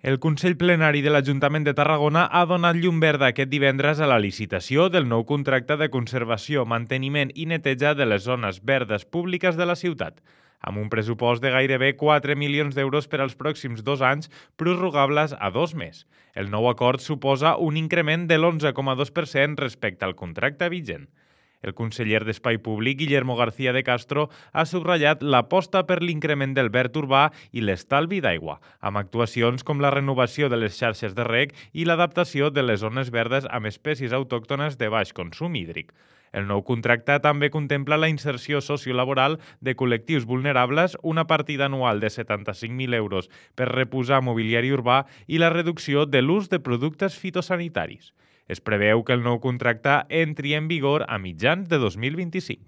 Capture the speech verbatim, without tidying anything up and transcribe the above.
El Consell Plenari de l'Ajuntament de Tarragona ha donat llum verda aquest divendres a la licitació del nou contracte de conservació, manteniment i neteja de les zones verdes públiques de la ciutat, amb un pressupost de gairebé quatre milions d'euros per als pròxims dos anys, prorrogables a dos més. El nou acord suposa un increment de l'onze coma dos per cent respecte al contracte vigent. El conseller d'Espai Públic, Guillermo García de Castro, ha subratllat l'aposta per l'increment del verd urbà i l'estalvi d'aigua, amb actuacions com la renovació de les xarxes de reg i l'adaptació de les zones verdes amb espècies autòctones de baix consum hídric. El nou contracte també contempla la inserció sociolaboral de col·lectius vulnerables, una partida anual de setanta-cinc mil euros per reposar mobiliari urbà i la reducció de l'ús de productes fitosanitaris. Es preveu que el nou contracte entri en vigor a mitjans de dos mil vint-i-cinc.